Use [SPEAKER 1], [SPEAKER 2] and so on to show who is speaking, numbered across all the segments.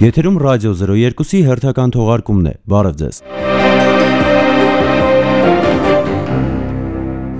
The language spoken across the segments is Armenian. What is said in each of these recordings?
[SPEAKER 1] Եթերում ռադիո 02-ի հերթական թողարկումն է, բարև ձեզ։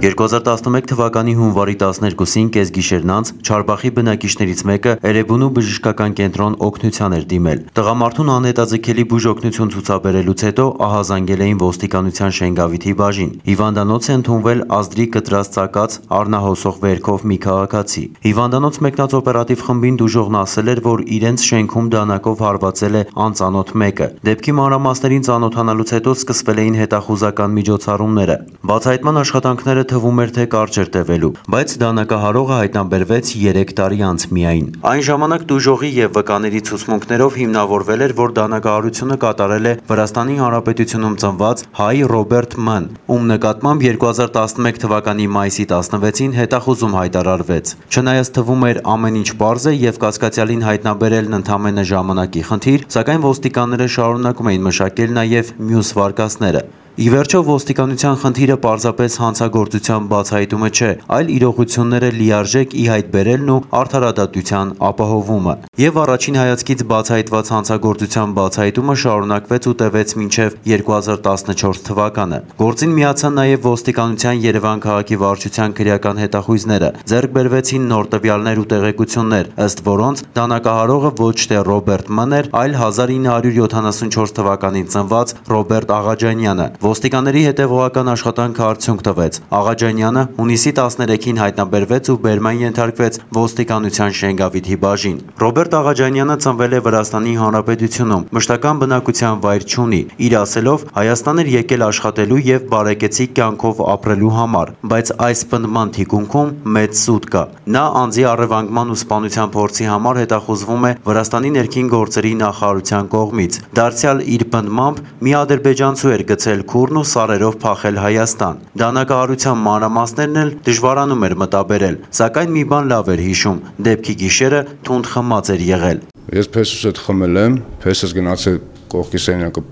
[SPEAKER 1] 2011 թվականի հունվարի 12-ին կեսգիշերն անց Չարբախի բնակիչներից մեկը Էրեբունու բժշկական կենտրոն օգնության էր դիմել։ Տղամարդուն անհետաձգելի բուժօգնություն ցուցաբերելուց հետո ահազանգել էին ոստիկանության Շենգավիթի բաժին։ Հիվանդանոց է ընդունվել ազդրի կտրած ծակած առնահոսող վերքով մի քաղաքացի։ Հիվանդանոց մեկնած օպերատիվ խմբին դուժողն ասել էր, որ իրենց շենքում դանակով հարվածել է անծանոթ մեկը։ Դեպքի մանրամասներին ծանոթանալուց հետո սկսվել էին հետախուզական միջոցառումները։ Բացահայտման աշխատանքները թվում էր, թե կարճ էր տևելու, բայց դանակահարողը հայտնաբերվեց 3 տարի անց միայն։ Այն ժամանակ դուժողի եւ վկաների ցուցմունքներով հիմնավորվել էր, որ դանակահարությունը կատարել է Վրաստանի Հանրապետությունում ծնված հայ Ռոբերտ Մ-ն, ում նկատմամբ 2011 թվականի մայիսի 16-ին հետախուզում հայտարարվեց։ Չնայած թվում էր ամեն ինչ պարզ է եւ կասկածյալին հայտնաբերելն ընդամենը ժամանակի խնդիր, սակայն ոստիկանները շարունակում էին մշակել նաեւ մյուս վարկածները։ Ի վերջո ոստիկանության խնդիրը պարզապես հանցագործության բացահայտումը չէ, այլ իրողությունները լիարժեք ի հայտ բերելն ու արդարադատության ապահովումը։ Եվ առաջին հայացքից բացահայտված հանցագործության բացահայտումը շարունակվեց ու տևեց մինչև 2014 թվականը։ Գործին միացան նաև ոստիկանության Երևան քաղաքի վարչության քրեական հետախույզները։ Ձեռք բերվեցին նոր տվյալներ ու տեղեկություններ, ըստ որոնց դանակահարողը ոչ թե Ռոբերտ Մ-ն էր, այլ 1974 թվականին ծնված Ռոբերտ Աղաջանյանը։ Ոստիկանների հետևողական աշխատանքը արդյունք տվեց։ Աղաջանյանը հունիսի 13-ին հայտնաբերվեց ու բերման ենթարկվեց ոստիկանության Շենգավիթի բաժին։ Ռոբերտ Աղաջանյանը ծնվել է Վրաստանի Հանրապետությունում, մշտական բնակության վայր չունի։ Իր ասելով, Հայաստան էր եկել աշխատելու եւ բարեկեցիկ կյանքով ապրելու համար, բայց այս պնդման թիկունքում մեծ սուտ կա։ Նա անձի առևանգման ու սպանության փորձի համար հետախուզվում է Վրաստանի ներքին գործերի նախարարության կողմից։ Դարձյալ իր պնդմամբ մի ադրբեջանցու էր գցել քուրն ու սարերով փախել Հայաստան։ Դանակահարության մանրամասներն էլ դժվարանում էր մտաբերել, սակայն մի բան լավ էր հիշում՝ դեպքի գիշերը թունդ խմած էր եղել։
[SPEAKER 2] Ես փեսուս հետ խմել եմ, փեսս գնացել կողքի սենյակը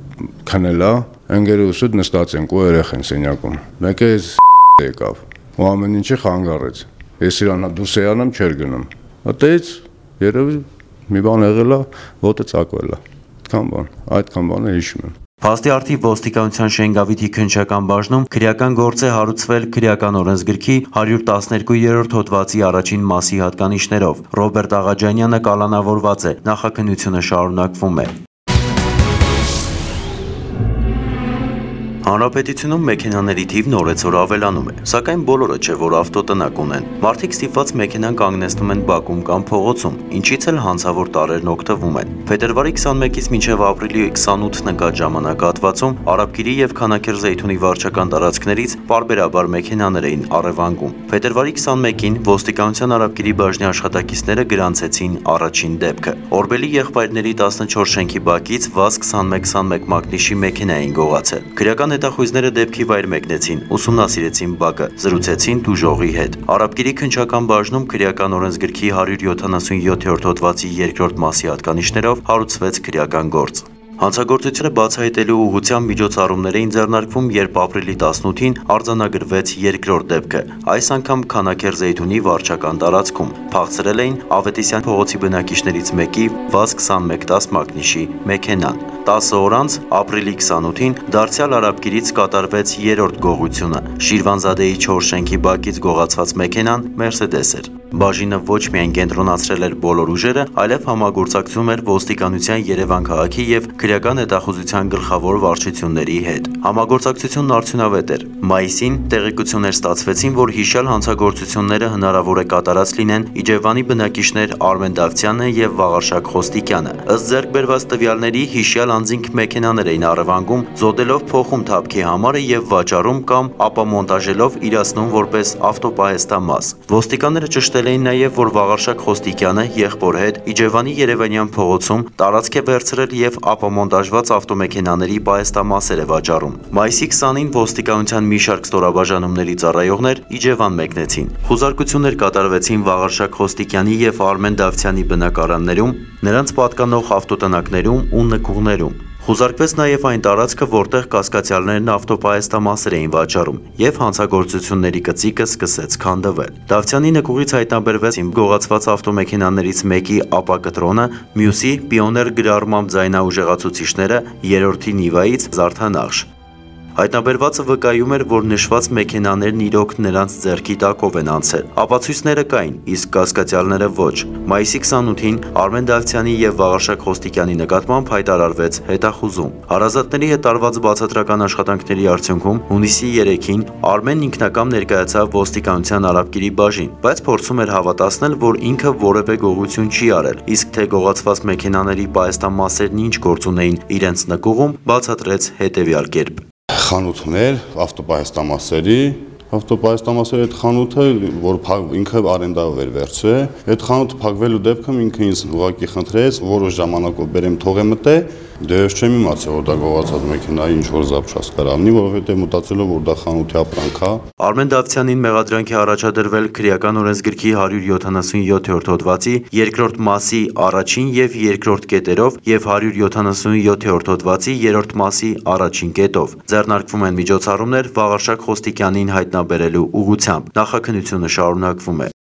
[SPEAKER 2] քնելա, ընկերուս հետ նստած ենք ու երեխան սենյակում։ Մեկը եկավ ու ամեն ինչը խանգարեց։ Ես իրան դուրս երանամ չեր գնում։ Այդտեղից երևի մի բան եղել է, ոտը ծակվել է։ Այդքան բանը հիշում եմ։
[SPEAKER 1] Փաստի արդիվ ոստիկանության Շենգավիթի քննչական բաժնում քրեական գործ է հարուցվել քրեական օրենսգրքի 112-րդ հոդվածի առաջին մասի հատկանիշներով։ Ռոբերտ Աղաջանյանը կալանավորված է, նախաքննությունը շարունակվում է։ Հանրապետությունում մեքենաների թիվն օրեցօր ավելանում է, սակայն բոլորը չէ, որ ավտոտնակ ունեն։ Մարդիկ ստիպված մեքենան կանգնեցնում են բակում կամ փողոցում, ինչից էլ հանցավոր տարրերն օգտվում են։ Փետրվարի 21-ից մինչև ապրիլի 28-ն ընկած ժամանակահատվածում Արաբկիրի եւ Քանաքեռ-Զեյթունի վարչական տարածքներից պարբերաբար մեքենաներ էին առևանգում։ Փետրվարի 21-ին ոստիկանության Արաբկիրի բաժնի աշխատակիցները գրանցեցին առաջին դեպքը։ Օրբելի եղբայրների 14 շենքի բակից ՎԱԶ-2121 մակնիշի մեքենա էին գողացել։ Քրեական հետախույզները դեպքի վայր մեկնեցին, ուսումնասիրեցին բակը, զրուցեցին դուժողի հետ։ Արաբկիրի քննչական բաժնում քրեական օրենսգրքի 177-րդ հոդվածի 2-րդ մասի հատկանիշներով հարուցվեց քրեական գործ։ Հանցագործությունը բացահայտելու ուղղությամբ միջոցառումներ էին ձեռնարկվում, երբ ապրիլի 18-ին արձանագրվեց երկրորդ դեպքը, այս անգամ Քանաքեռ-Զեյթունի վարչական տարածքում։ Փախցրել էին Ավետիսյան փողոցի բնակիչներից մեկի ՎԱԶ-2110 մակնիշի մեքենան։ 10 օր անց, ապրիլի 28-ին, դարձյալ Արաբկիրից կատարվեց երրորդ գողությունը։ Շիրվանզադեի 4 շենքի բակից գողացված մեքենան Մերսեդես էր։ Բաժինը ոչ միայն կենտրոնացրել էր բոլոր ուժերը, այլև համագործակցում էր ոստիկանության Երևան քաղաքի եւ քրեական հետախուզության գլխավոր վարչությունների հետ։ Համագործակցությունն արդյունավետ էր։ Մայիսին տեղեկություններ ստացվեցին, որ հիշյալ հանցագործությունները հնարավոր է կատարած լինեն Իջևանի բնակիչներ Արմեն Դավթյանը եւ Վաղարշակ Խոստիկյանը։ Ըստ ձեռք բերված տվյալների հիշյալ անձինք մեքենաներ էին առևանգում, զոդելով փոխում թափքի համարը եւ վաճառում կամ ապամոնտաժելով իրացնում որպես ավտոպահեստամաս։ Ոստիկանները ճշտել էին նաեւ, որ Վաղարշակ Խոստիկյանը եղբոր հետ Իջևանի Երևանյան փողոցում տարածք է վերցրել եւ ապամոնտաժված ավտոմեքենաների պահեստամասեր է վաճառում։ Մայիսի 20-ին ոստիկանության մի շարք ստորաբաժանումների ծառայողներ Իջևան մեկնեցին։ Խուզարկություններ կատարվեցին Վաղարշակ Խոստիկյանի եւ Արմեն Դավթյանի բնակարաններում, նրանց պատկանող ավտոտնակներում ու նկուղներում։ Խուզարկվեց նաև այն տարածքը, որտեղ կասկածյալներն ավտոպահեստամասեր էին վաճառում, եւ հանցագործությունների գծիկը սկսեց քանդվել։ Դավթյանի նկուղից հայտնաբերվեց գողացված ավտոմեքենաներից մեկի ապակտրոնը, մյուսի պիոներ գրառմամբ ձայնաուժեղացուցիչները, երրորդի Նիվայից զարդանախշ։ Հայտնաբերվածը վկայում էր, որ նշված մեքենաներն իրոք նրանց ձեռքի տակով են անցել։ Ապացույցները կային, իսկ կասկածյալները ոչ։ Մայիսի 28-ին Արմեն Դավթյանի եւ Վաղարշակ Խոստիկյանի նկատմամբ հայտարարվեց հետախուզում։ Հարազատների հետ տարված բացատրական աշխատանքների արդյունքում հունիսի 3-ին Արմենն ինքնակամ ներկայացավ ոստիկանության Արաբկիրի բաժին, բայց փորձում էր հավատացնել, որ ինքը որևէ գողություն չի արել, իսկ թե գողացված մեքենաների պահեստամասերն ինչ գործ ունեին իրենց նկուղում, բացատրեց հետեւյալ կերպ.
[SPEAKER 3] Խանութներ ավտոպահեստամասերի այդ խանութը, որ ինքը արենդայով էր վերցրել, այդ խանութը փակվելու դեպքում ինքը ինձ ուղղակի խնդրեց, որոշ ժամանակով բերեմ թողեմ մտե, դե ես չեմ իմացել, որ դա գողացած մեքենայի ինչ որ զապշած կարավնի, որովհետև մտածելով որ դա խանութի ապրանք է։
[SPEAKER 1] Արմեն Դավթյանին մեղադրանք է առաջադրվել քրեական օրենսգրքի 177-րդ հոդվածի 2-րդ մասի առաջին եւ 2-րդ կետերով եւ 177-րդ հոդվածի 3-րդ մասի առաջին կետով։ Ձեռնարկվում են միջոցառումներ Վաղարշակ Խոստիկյանին հայտնաբերելու ուղղությամբ։ Նախաքննությունը շարունակվում է։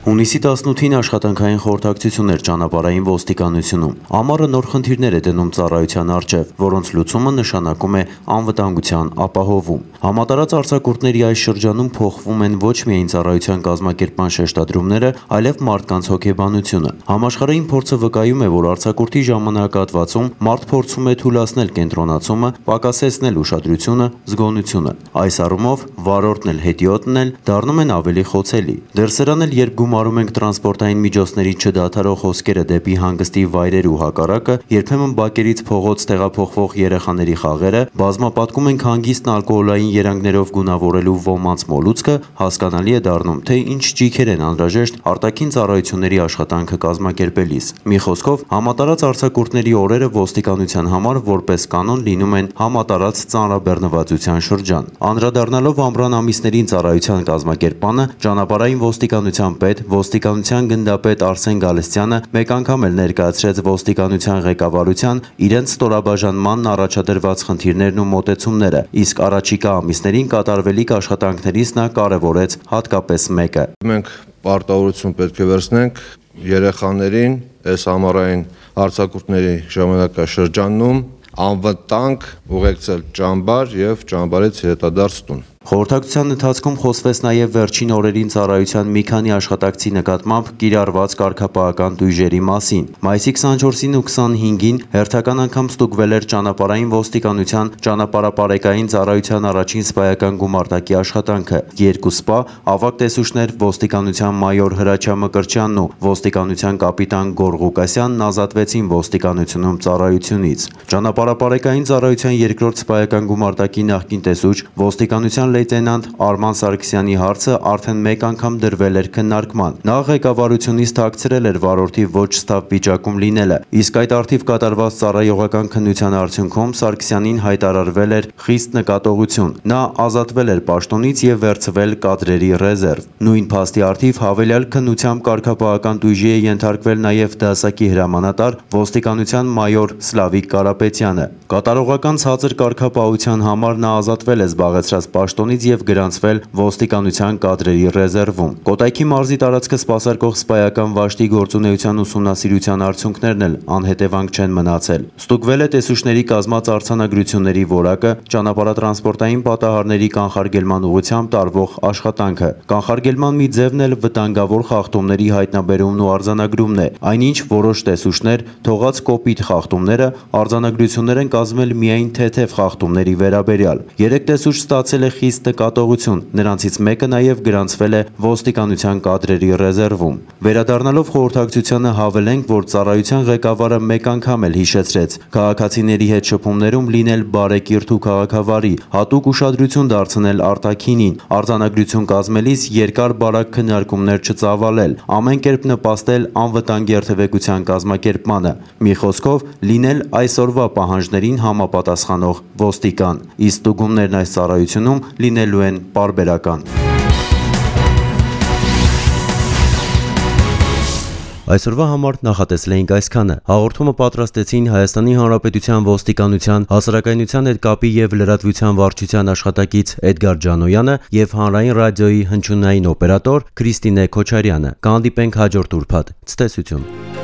[SPEAKER 1] Հունիսի 18-ին աշխատանքային խորհրդակցություն էր ճանապարհային ոստիկանությունում։ Ամառը նոր խնդիրներ է դնում ծառայության առջև, որոնց լուծումը նշանակում է անվտանգության ապահովում։ Համատարած արձակուրդների այս շրջանում փոխվում են ոչ միայն ծառայության կազմակերպման շեշտադրումները, այլև մարդկանց հոգեբանությունը։ Համաշխարհային փորձը վկայում է, որ արձակուրդի ժամանակահատվածում մարդ փորձում է թուլացնել կենտրոնացումը, պակասեցնել ուշադրությունը, զգոնությունը։ Այս առումով վարորդն էլ հետիոտն էլ դառնում են ավելի խոցելի։ Դեռ սրան էլ երբ գումարում ենք տրանսպորտային միջոցների չդադարող հոսքերը դեպի հանգստի վայրեր ու հակառակը, երբեմն բակերից փողոց տեղափոխվող երեխաների խաղերը, բազմապատկում ենք հանգիստն ալկոհոլային երանգներով գունավորելու ոմանց մոլուցքը, հասկանալի է դառնում, թե ինչ ճիգեր են անհրաժեշտ արտաքին ծառայությունների աշխատանքը կազմակերպելիս։ Մի խոսքով, համատարած արձակուրդների օրերը ոստիկանության համար որպես կանոն լինում են համատարած ծանրաբեռնվածության շրջան։ Անդրադառնալով ամռան ամիսներին ծառայության կազմակերպմանը, ճանապարհային ոստիկանության պետ, ոստիկանության գնդապետ Արսեն Գալստյանը մեկ անգամ էլ ներկայացրեց ոստիկանության ղեկավարության իրենց ստորաբաժանմանն առաջադրված խնդիրներն ու մոտեցումները, իսկ առաջիկա ամիսներին կատարվելիք աշխատանքներից նա կարևորեց հատկապես մեկը։
[SPEAKER 4] Մենք պարտավորություն պետք է վերցնենք երեխաներին այս ամառային արձակուրդների ժամանակաշրջանում անվտանգ ուղեկցել ճամբար եւ ճամբարից հետադարձ տուն։
[SPEAKER 1] Խորհրդակցության ընթացքում խոսվեց նաև վերջին օրերին ծառայության մի քանի աշխատակցի նկատմամբ կիրառված կարգապահական տույժերի մասին։ Մայիսի 24-ին ու 25-ին հերթական անգամ ստուգվել էր ճանապարհային ոստիկանության ճանապարհապարեկային ծառայության առաջին սպայական գումարտակի աշխատանքը։ Երկու սպա, ավագ տեսուչներ ոստիկանության մայոր Հրաչյա Մկրտչյանն ու ոստիկանության կապիտան Գոռ Ղուկասյանն ազատվեցին ոստիկանությունում ծառայությունից։ Ճանապարհապարեկային ծառայության երկրորդ սպայական գումարտակի նախկին տեսուչ ոստիկանության լեյտենանտ Արման Սարգսյանի հարցը արդեն մեկ անգամ դրվել էր քննարկման։ Նա ղեկավարությունից թաքցրել էր վարորդի ոչ ստավ վիճակում լինելը, իսկ այդ արդիվ կատարված ծառայողական քննության արդյունքում Սարգսյանին հայտարարվել էր խիստ նկատողություն։ Նա ազատվել էր պաշտոնից եւ վերցվել կադրերի ռեզերվ։ Նույն փաստի արդիվ հավելյալ քննությամբ կարգապահական տույժի է ենթարկվել նաեւ դասակի հրամանատար ոստիկանության մայոր Սլավիկ Կարապետյանը։ Կատարողական ցածր կարգապահության համար նա ազատվել է զբաղեցրած պաշտոնից եւ գրանցվել ոստիկանության կադրերի ռեզերվում։ Կոտայքի մարզի տարածքը սպասարկող սպայական վաշտի գործունեության ուսումնասիրության արդյունքներն էլ անհետևանք չեն մնացել։ Ստուգվել է տեսուչների կազմած արձանագրությունների որակը, ճանապարհատրանսպորտային պատահարների կանխարգելման ուղղությամբ տարվող աշխատանքը։ Կանխարգելման մի ձևն էլ վտանգավոր խախտումների հայտնաբերումն ու արձանագրումն է։ Այնինչ որոշ տեսուչներ թողած կոպիտ խախտումները արձանագրություններ են կազմել միայն թեթև խախտումների վերաբերյալ։ 3 տեսուչ ստացել է խիստ նկատողություն, նրանցից մեկը նաև գրանցվել է ոստիկանության կադրերի ռեզերվում։ Վերադառնալով խորհրդակցությանը հավելենք, որ ծառայության ղեկավարը մեկ անգամ էլ հիշեցրեց քաղաքացիների հետ շփումներում լինել բարեկիրթ ու քաղաքավարի, հատուկ ուշադրություն դարձնել արտաքինին, արձանագրություն կազմելիս երկար բարակ քննարկումներ չծավալել, ամեն կերպ նպաստել անվտանգ երթևեկության կազմակերպմանը։ Մի խոսքով լինել այսօրվա պահանջներին համապատասխանող ոստիկան։ Իսկ ստուգումներն այս ծառայությունում լինելու են պարբերական։ Այսօրվա համար նախատեսել էինք այսքանը։ Հաղորդումը պատրաստեցին Հայաստանի Հանրապետության ոստիկանության հասարակայնության հետ կապի եւ լրատվության վարչության աշխատակից Էդգար Ջանոյանը եւ Հանրային ռադիոյի հնչյունային օպերատոր Քրիստինե Քոչարյանը։ Կհանդիպենք հաջորդ ուրբաթ։ Ցտեսություն։